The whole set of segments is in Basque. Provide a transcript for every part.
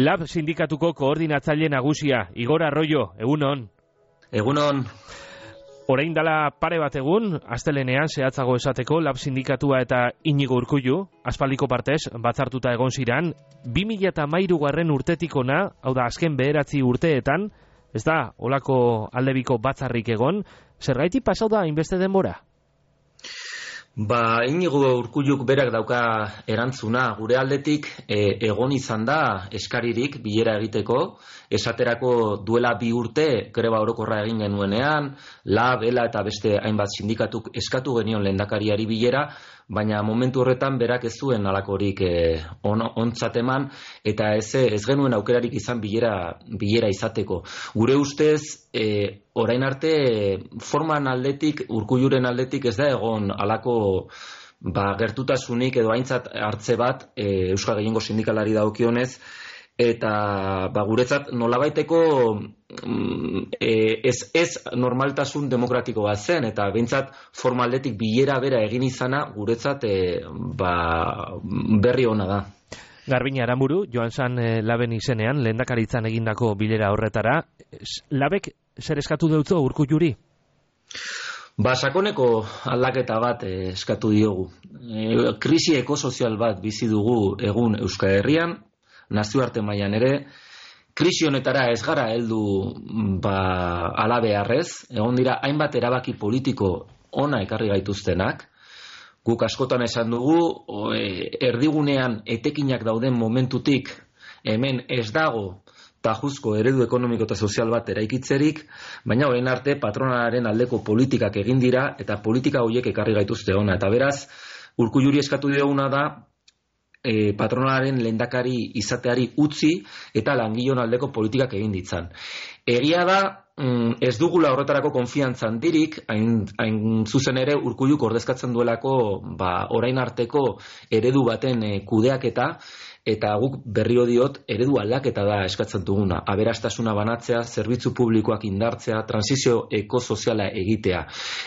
Lab sindikatuko koordinatzaile nagusia, Igor Arroyo, egunon. Egunon. Orain dela pare bat egun, astelenean zehatzago esateko Lab sindikatua eta Iñigo Urkullu, aspaldiko partez batzartuta egon ziran, 2013 urtetik ona, hau da azken 9 urteetan, ez da olako aldebiko batzarrik egon, zergatik pasau da hainbeste denbora? Iñigo Urkulluk berak dauka erantzuna, gure aldetik egon izan da eskaririk bilera egiteko, esaterako duela 2 urte greba orokorra egin genuenean, Lab, ELA eta beste hainbat sindikatuk eskatu genion lehendakariari bilera, baina momentu horretan berak ez zuen halakorik ontzat eman, eta ez genuen aukerarik izan bilera izateko. Gure ustez, orain arte forman aldetik, Urkulluren aldetik ez da egon halako gertutasunik edo aintzat hartze bat Euskal Gehiengo sindikalari dagokionez, eta guretzat nolabaiteko ez normaltasun demokratiko bat zen, eta behintzat formaldetik bilera bera egin izana guretzat berri ona da. Garbine Aramburu, joan zan Laben izenean, lehendakaritzan egindako bilera horretara, Labek zer eskatu deutzo Urkulluri? Sakoneko aldaketa bat eskatu diogu. Krisi ekosozial bat bizi dugu egun Euskal Herrian, nazioarte mailan ere, krisi honetara ez gara heldu halabeharrez, egon dira hainbat erabaki politiko ona ekarri gaituztenak. Guk askotan esan dugu, erdigunean etekinak dauden momentutik hemen ez dago tajuzko eredu ekonomiko eta sozial bat eraikitzerik, baina orain arte patronalaren aldeko politikak egin dira eta politika horiek ekarri gaituzte ona. Eta beraz, Urkulluri eskatu dioguna da, patronalaren lehendakari izateari utzi eta langileon aldeko politikak egin ditzan. Egia da, ez dugula horretarako konfiantza handirik, hain zuzen ere Urkulluk ordezkatzen duelako orain arteko eredu baten kudeaketa, eta guk berrio diot eredu aldaketa da eskatzen duguna. Aberastasuna banatzea, zerbitzu publikoak indartzea, transizio ekosoziala egitea.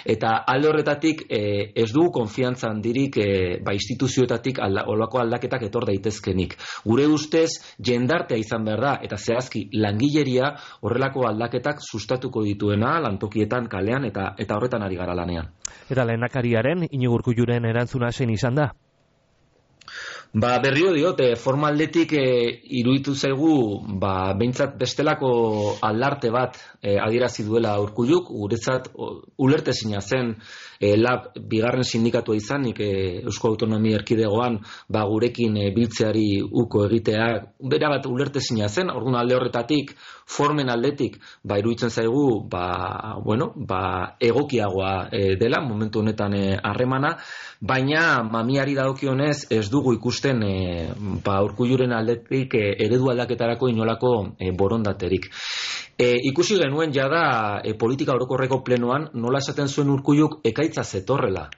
Eta alde horretatik ez dugu konfiantza handirik instituzioetatik olako aldaketak etor daitezkenik. Gure ustez jendartea izan behar da, eta zehazki langileria horrelako aldaketak sustatuko dituena lantokietan, kalean, eta horretan ari gara lanean. Eta lehendakariaren, Iñigo Urkulluren erantzuna zein izan da? Berrio diote, formaldetik iruditu zaigu, behintzat bestelako aldarte bat adierazi duela Urkulluk, guretzat ulertezina zen Lab bigarren sindikatua izanik Eusko Autonomia Erkidegoan gurekin biltzeari uko egitea, bera bat ulertezina zen, orduan alde horretatik, formen aldetik, iruditzen zaigu, egokiagoa dela, momentu honetan harremana, baina mamiari dagokionez ez dugu ikusten Urkulluren aldetik eredu aldaketarako inolako borondaterik. Ikusi genuen jada politika orokorreko plenoan nola esaten zuen Urkulluk ekaitza zetorrela.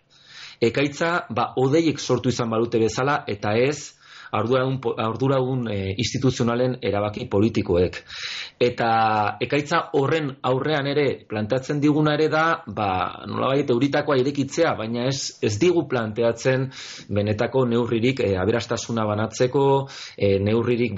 Ekaitza hodeiek sortu izan balute bezala eta ez arduradun instituzionalen erabaki politikoek. Eta ekaitza horren aurrean ere planteatzen diguna ere da, nolabait euritakoa irekitzea, baina ez digu planteatzen benetako neurririk aberastasuna banatzeko, neurririk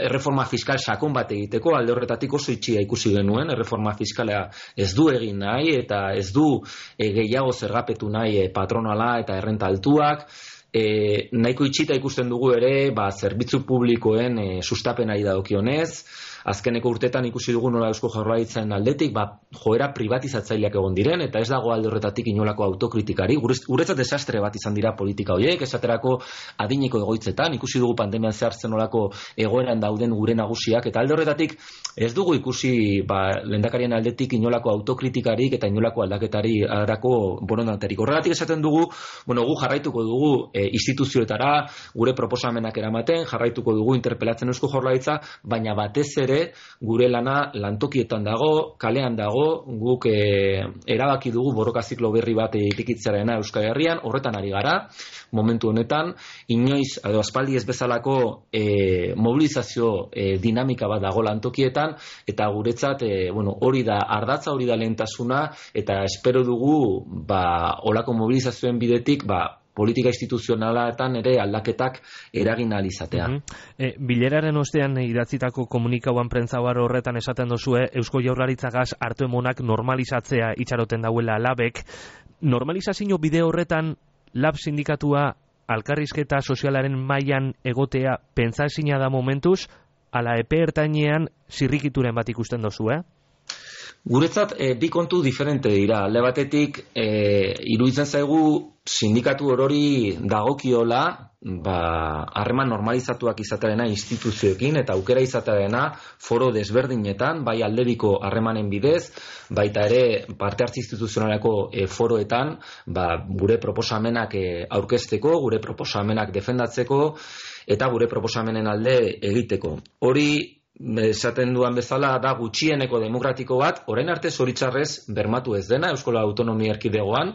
erreforma fiskal sakon bat egiteko, alde horretatik oso itxia ikusi genuen, erreforma fiskala ez du egin nahi, eta ez du gehiago zergapetu nahi patronala eta errenta altuak, nahiko itxita ikusten dugu ere zerbitzu publikoen sustapenari dagokionez. Azkeneko urtetan ikusi dugu nola Eusko Jaurlaritzaren aldetik joera privatizatzaileak egon diren, eta ez dago alde horretatik inolako autokritikari. Guretzat desastre bat izan dira politika horiek, esaterako adineko egoitzetan, ikusi dugu pandemian zehartzen nolako egoeran dauden gure nagusiak, eta alde horretatik ez dugu ikusi lehendakarien aldetik inolako autokritikarik eta inolako aldaketari arako borondaterik. Horregatik esaten dugu, gu jarraituko dugu instituzioetara, gure proposamenak eramaten, jarraituko dugu interpelatzen Eusko Jaurlaritza, baina batez ere gure lana lantokietan dago, kalean dago, guk erabaki dugu borroka ziklo berri bat irekitzearena Euskal Herrian, horretan ari gara, momentu honetan, inoiz, edo aspaldi ez bezalako mobilizazio dinamika bat dago lantokietan, eta guretzat, hori da ardatza, hori da lehentasuna, eta espero dugu, olako mobilizazioen bidetik, politika instituzionaletan ere aldaketak eragin ahal izatea. Bileraren ostean idatzitako komunikauan prentzabar horretan esaten dozue Eusko Jaurlaritzagaz hartu emonak normalizatzea itxaroten dauela labek. Normalizazio bide horretan lab sindikatua alkarrizketa sozialaren mailan egotea pentsaezina da momentuz, ala epe ertainean zirrikituren bat ikusten dozu, Guretzat, bi kontu diferente dira. Alde batetik, iruditzen zaigu sindikatu orori dagokiola, harreman normalizatuak izatearena instituzioekin eta aukera izatearena foro desberdinetan, bai aldebiko harremanen bidez, baita ere parte hartze instituzionaleko foroetan, gure proposamenak aurkezteko, gure proposamenak defendatzeko eta gure proposamenen alde egiteko. Hori esaten duan bezala da gutxieneko demokratiko bat, orain arte zoritxarrez bermatu ez dena Euskal Autonomia Erkidegoan,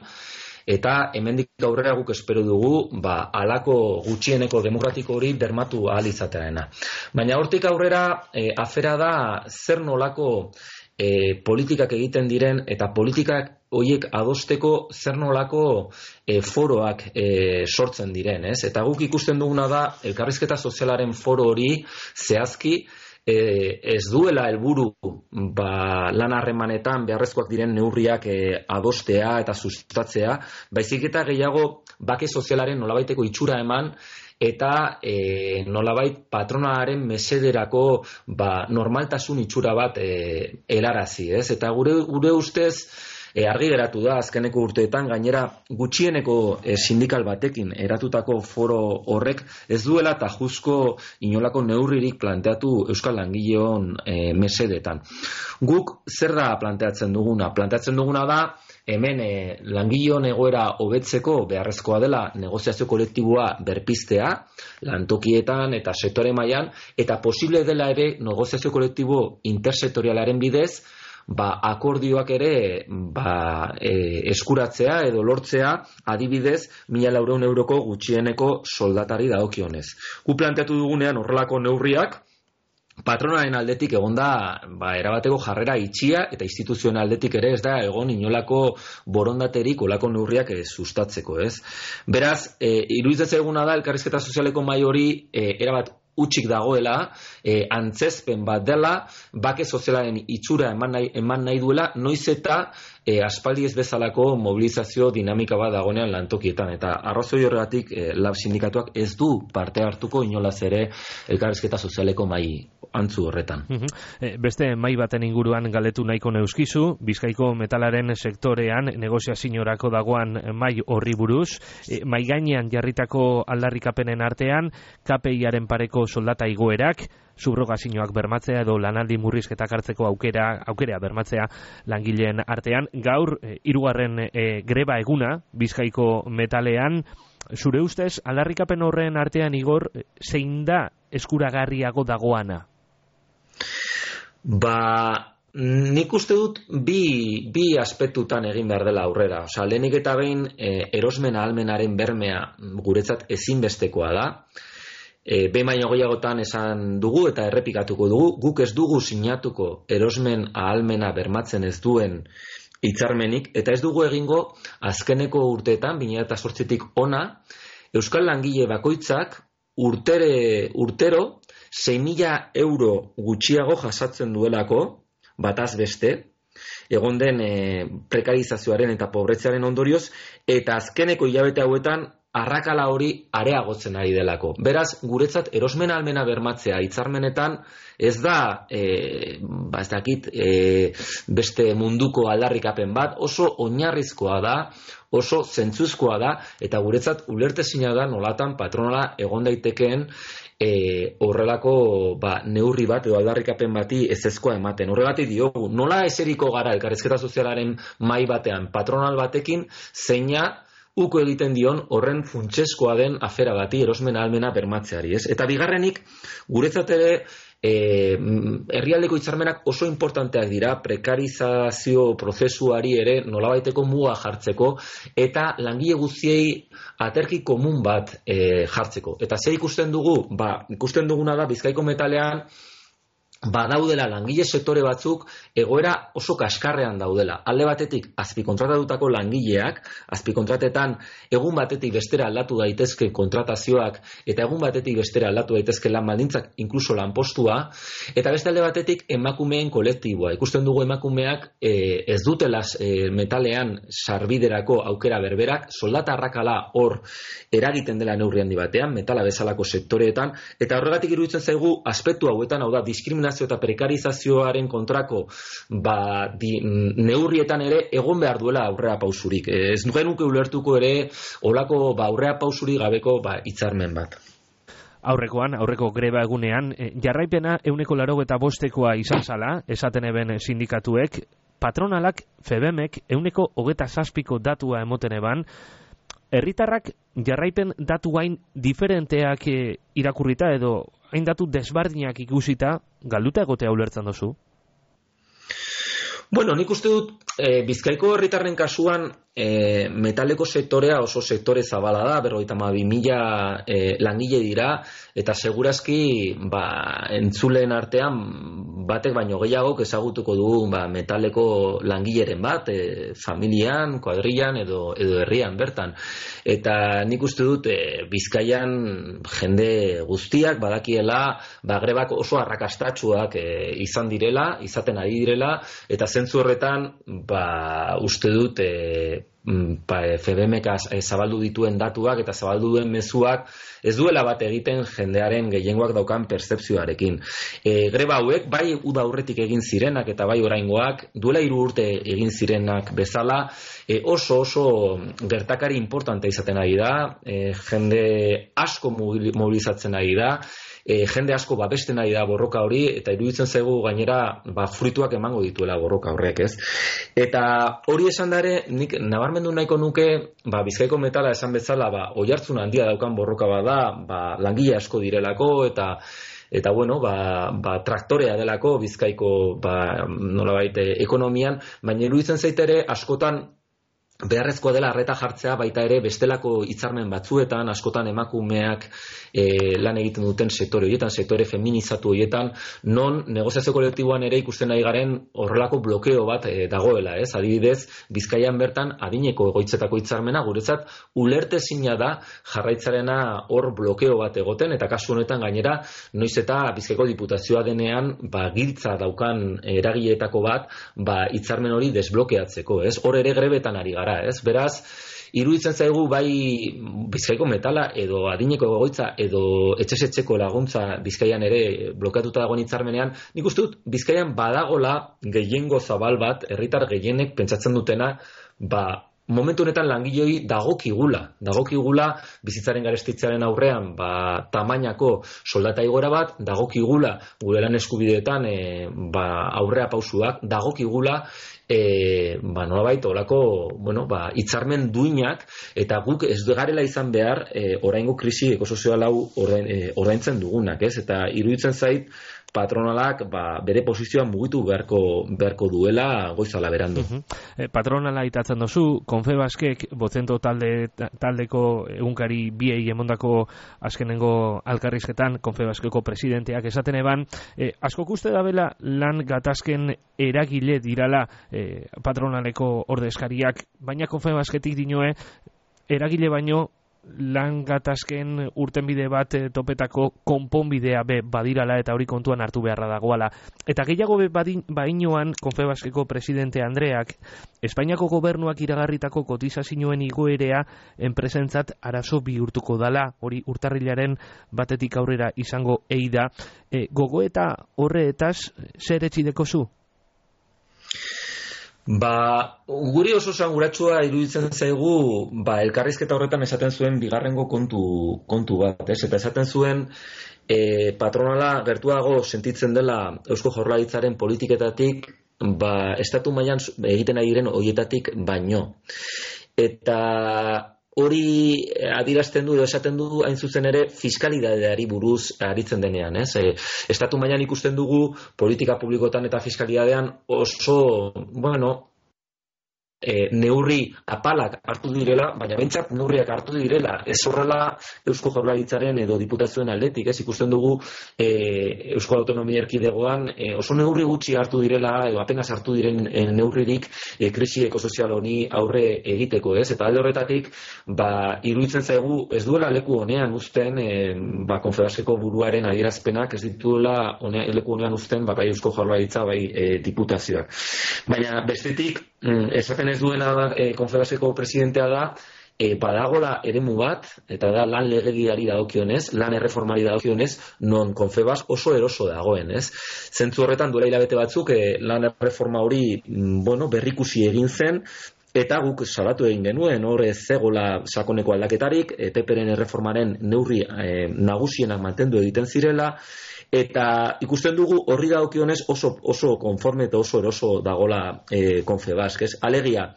eta hemendik aurrera guk espero dugu halako gutxieneko demokratiko hori bermatu ahal izatearena. Baina hortik aurrera afera da zer nolako politikak egiten diren eta politikak horiek adosteko zer nolako foroak sortzen diren, ez? Eta guk ikusten duguna da elkarrizketa sozialaren foro hori zehazki ez duela helburu lan harremanetan beharrezkoak diren neurriak adostea eta sustatzea, baizik eta gehiago bake sozialaren nolabaiteko itxura eman eta nolabait patronalaren mesederako normaltasun itxura bat helarazi, ez? Eta gure ustez argi geratu da azkeneko urteetan, gainera gutxieneko sindikal batekin eratutako foro horrek ez duela tajuzko inolako neurririk planteatu Euskal Langileon mesedetan. Guk zer da planteatzen duguna? Planteatzen duguna da hemen langileon egoera hobetzeko beharrezkoa dela negoziazio kolektiboa berpiztea, lantokietan eta sektore mailan, eta posible dela ere negoziazio kolektibo intersektorialaren bidez akordioak ere eskuratzea edo lortzea, adibidez 1.400 euroko gutxieneko soldatari dagokionez. Gu planteatu dugunean horrelako neurriak patronaren aldetik egonda erabateko jarrera itxia eta instituzioen aldetik ere ez da egon inolako borondaterik olako neurriak sustatzeko, ez? Beraz, iruditzen zaiguna da elkarrizketa sozialeko mahai hori erabat utxik dagoela, antzezpen bat dela, bake sozialaren itxura eman nahi duela, noiz eta aspaldi ez bezalako mobilizazio dinamika bat dagoenean lantokietan. Eta arrazoi horregatik lab sindikatuak ez du parte hartuko inolaz ere elkarrizketa sozialeko mahai antzu horretan. Beste mahai baten inguruan galdetu nahiko neuskizu, Bizkaiko metalaren sektorean negoziaziorako dagoan mahai horri buruz, mahai gainean jarritako aldarrikapenen artean, KPI-aren pareko soldata igoerak, subrogazioak bermatzea edo lanaldi murrizketak hartzeko aukera bermatzea langileen artean. Gaur, 3. greba eguna Bizkaiko metalean, zure ustez, aldarrikapen horren artean, Igor, zein da eskuragarriago dagoana? Nik uste dut bi aspektutan egin behar dela aurrera. Lehenik eta behin erosmen ahalmenaren bermea guretzat ezinbestekoa da. Behin baino gehiagotan esan dugu eta errepikatuko dugu, guk ez dugu sinatuko erosmen ahalmena bermatzen ez duen hitzarmenik, eta ez dugu egingo azkeneko urteetan, 2008tik ona, Euskal Langile bakoitzak urtero 6.000 euro gutxiago jasatzen duelako, bataz beste, egon den prekarizazioaren eta pobretzearen ondorioz, eta azkeneko hilabete hauetan arrakala hori areagotzen ari delako. Beraz, guretzat erosmen ahalmena bermatzea hitzarmenetan ez da beste munduko aldarrikapen bat, oso oinarrizkoa da, oso zentzuzkoa da, eta guretzat ulertezina da nolatan patronala egon daitekeen horrelako neurri bat edo aldarrikapen bati ezezkoa ematen. Horregatik diogu, nola eseriko gara elkarrizketa sozialaren mahai batean patronal batekin, zeina uko egiten dion horren funtsezkoa den afera bati erosmen ahalmena bermatzeari, ez? Eta bigarrenik, guretzat ere herrialdeko hitzarmenak oso importanteak dira prekarizazio prozesuari ere nolabaiteko muga jartzeko eta langile guztiei aterki komun bat jartzeko. Eta ze ikusten dugu? Ikusten duguna da Bizkaiko metalean badaudela langile sektore batzuk egoera oso kaskarrean daudela. Alde batetik azpikontratatutako langileak, azpikontratetan egun batetik bestera aldatu daitezke kontratazioak eta egun batetik bestera aldatu daitezke lan baldintzak, inkluso lanpostua, eta beste alde batetik emakumeen kolektiboa. Ikusten dugu emakumeak ez dutela metalean sarbiderako aukera berberak, soldata arrakala hor eragiten dela neurri handi batean, metala bezalako sektoreetan, eta horregatik iruditzen zaigu aspektu hauetan, hau da, diskriminazio eta prekarizazioaren kontrako neurrietan ere egon behar duela aurrera pausurik. Ez nuke ulertuko ere olako aurrera pausurik gabeko hitzarmen bat. Aurreko greba egunean, jarraipena 85%koa izan zala, esaten eben sindikatuek, patronalak FEBEMek 27%ko datua emoten eban, herritarrak jarraipen datu hain diferenteak irakurrita edo hain datu desbardinak ikusita, galduta egotea ulertzen dozu? Bueno, nik uste dut Bizkaiko herritarren kasuan metaleko sektorea oso sektore zabala da, 52.000 langile dira, eta segurazki entzuleen artean batek baino gehiagok ezagutuko dugu metaleko langileren bat, familian, kuadrillan edo herrian bertan. Eta nik uste dut Bizkaian jende guztiak badakiela grebak oso arrakastatsuak izaten ari direla, eta zentzu horretan uste dut FEBEMek zabaldu dituen datuak eta zabaldu duen mezuak ez duela bat egiten jendearen gehiengoak daukan pertzepzioarekin. Greba hauek bai uda aurretik egin zirenak eta bai oraingoak duela 3 urte egin zirenak bezala oso gertakari importante izaten ari da, jende asko mobilizatzen ari da, jende asko babesten ari da borroka hori, eta iruditzen zaigu gainera fruituak emango dituela borroka horrek, ez? Eta hori esan dare, nik nabarmendu nahiko nuke, Bizkaiko metala esan bezala, oihartzun handia daukan borroka bada, langile asko direlako, eta bueno, traktorea delako Bizkaiko nolabait ekonomian, baina iruditzen zaitere askotan beharrezkoa dela arreta jartzea baita ere bestelako hitzarmen batzuetan, askotan emakumeak lan egiten duten sektore horietan, sektore feminizatu horietan, non negoziazio kolektiboan ere ikusten ari garen horrelako blokeo bat dagoela, ez? Adibidez, Bizkaian bertan adineko egoitzetako hitzarmena guretzat ulertezina da jarraitzarena hor blokeo bat egoten, eta kasu honetan gainera noiz eta Bizkaiko diputazioa denean giltza daukan eragileetako bat hitzarmen hori desblokeatzeko, ez? Hor ere grebetan ari gara. Beraz, iruditzen zaigu bai Bizkaiko metala edo adineko egoitza edo etxesetzeko laguntza Bizkaian ere blokeatuta dagoen hitzarmenean, nik uste dut Bizkaian badagola gehiengo zabal bat, herritar gehienek pentsatzen dutena, momentu honetan langiloi dagokigula bizitzaren garestitzearen aurrean tamainako soldata igoera bat, dagokigula gure lan eskubideetan aurrea pausuak, dagokigula nolabait olako hitzarmen duinak, eta guk ez garela izan behar oraingo krisi ekosozial hau ordaintzen dugunak, ez? Eta iruditzen zait patronalak bere posizioa mugitu beharko duela goizala berandu. Patronala itatzen dozu, Confebaskek Botzento taldeko egunkari biei emondako azkenengo alkarrizketan Confebaskeko presidenteak esaten eban, askok uste dabela lan gatazken eragile dirala patronaleko ordezkariak, baina Confebasketik dinoe eragile baino lan gatazken urtenbide bat topetako konponbidea badirala eta hori kontuan hartu beharra dagoala. Eta gehiago bainoan Confebaskeko presidente Andreak Espainiako gobernuak iragarritako kotizazioen igoerea enpresentzat arazo bihurtuko dala, hori urtarrilaren 1 aurrera izango da. Gogoeta horretaz zer etxideko zu? Guri oso sanguratsua iruditzen zaigu elkarrizketa horretan esaten zuen bigarrengo kontu bat, ez? Eta esaten zuen patronala gertuago sentitzen dela Eusko Jaurlaritzaren politiketatik estatu mailan egiten ari diren horietatik baino. Eta hori adierazten du edo esaten du hain zuzen ere fiskalidadeari buruz aritzen denean, ez? Estatu mailan ikusten dugu politika publikotan eta fiskalidadean oso, neurri apalak hartu direla, baina bentsat neurriak hartu direla, ez horrela Eusko Jaurlaritzaren edo diputazioen aldetik, ez ikusten dugu Euskal Autonomia Erkidegoan oso neurri gutxi hartu direla, edo apenas hartu diren neurririk krisi ekosozial honi aurre egiteko, ez? Eta alde horretatik, iruditzen zaigu ez duela leku honean uzten, Konfederazioko buruaren adierazpenak ez dituela leku honean uzten, bai Eusko Jaurlaritza, bai diputazioak. Baina bestetik, esaten ez duena Konfederazioko presidentea da, badagola eremu bat, eta da lan legediari dagokionez, lan erreformari dagokionez, non Confebask oso eroso dagoen, ez? Zentzu horretan duela hilabete batzuk, lan erreforma hori, berrikusi egin zen, eta guk salatu egin genuen, hor ez zegoela sakoneko aldaketarik, PP-ren erreformaren neurri nagusienak mantendu egiten zirela, eta ikusten dugu horri dagokionez oso konforme eta oso eroso dagola Confebask, ez? Alegia,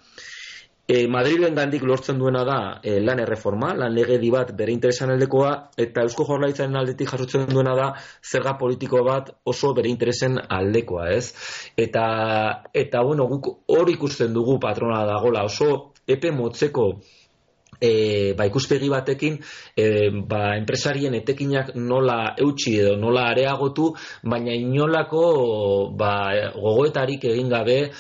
Madrilen gandik lortzen duena da lan erreforma, lan legedi bat bere interesan aldekoa, eta Eusko Jaurlaritzaren aldetik jasotzen duena da zerga politiko bat oso bere interesen aldekoa, ez? Eta guk hor ikusten dugu patrona dagola, oso epe motzeko ikuspegi batekin, enpresarien etekinak nola eutxi edo nola areagotu, baina inolako gogoetarik egin gabe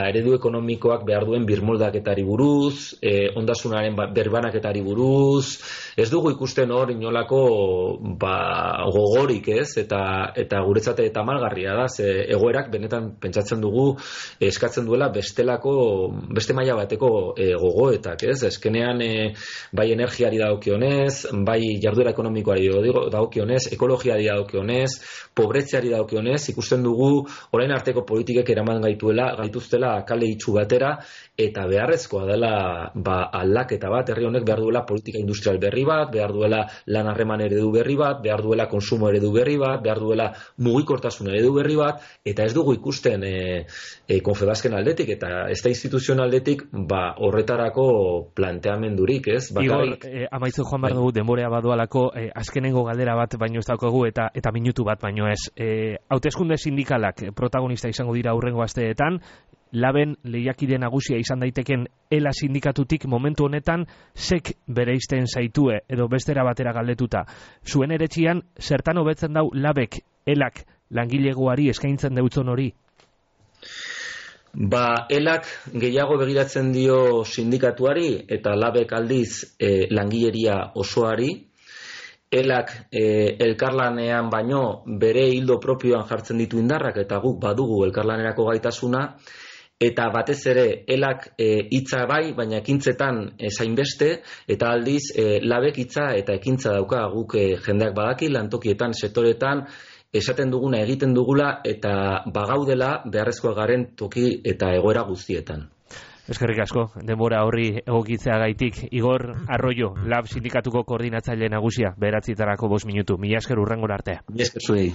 eredu ekonomikoak behar duen birmoldaketari buruz, ondasunaren berbanaketari buruz, ez dugu ikusten hor inolako gogorik, ez? Eta guretzat tamalgarria da, ze egoerak benetan pentsatzen dugu eskatzen duela beste maila bateko gogoetak, ez? Eskenean bai energiari dagokionez, bai jarduera ekonomikoari dagokionez, ekologiari dagokionez, pobretzeari dagokionez, ikusten dugu orain arteko politikek eraman gaituztela kale itxu batera, eta beharrezkoa dela aldaketa bat, herri honek behar duela politika industrial berri bat, behar duela lan harreman eredu berri bat, behar duela konsumo eredu berri bat, behar duela mugikortasun eredu berri bat, eta ez dugu ikusten Confebasken aldetik, eta ez da instituzioen aldetik horretarako planteamendurik, ez? Igor, amaitzen joan behar dugu, denborea badualako, azkenengo galdera bat baino ez daukagu, eta minutu bat baino ez. Hauteskunde sindikalak protagonista izango dira hurrengo asteetan, Laben lehiakide nagusia izan daiteken ELA sindikatutik momentu honetan zek bereizten zaitue edo bestera batera galdetuta. Zuen eretxian, zertan hobetzen dau Labek, ELAK langilegoari eskaintzen deutzon hori? ELAK gehiago begiratzen dio sindikatuari eta Labek aldiz langileria osoari. ELAK elkarlanean baino bere hildo propioan jartzen ditu indarrak eta guk badugu elkarlanerako gaitasuna, eta batez ere ELAK hitza bai, baina ekintzetan zainbeste, eta aldiz Labek hitza eta ekintza dauka guk jendeak badaki, lantokietan, sektoretan, esaten duguna egiten dugula, eta bagaudela beharrezkoa garen toki eta egoera guztietan. Eskerrik asko, denbora horri egokitzeagaitik. Igor Arroyo, Lab sindikatuko koordinatzaile nagusia, 9:05 minutu. Mila esker hurrengora arte. Mila esker zuei.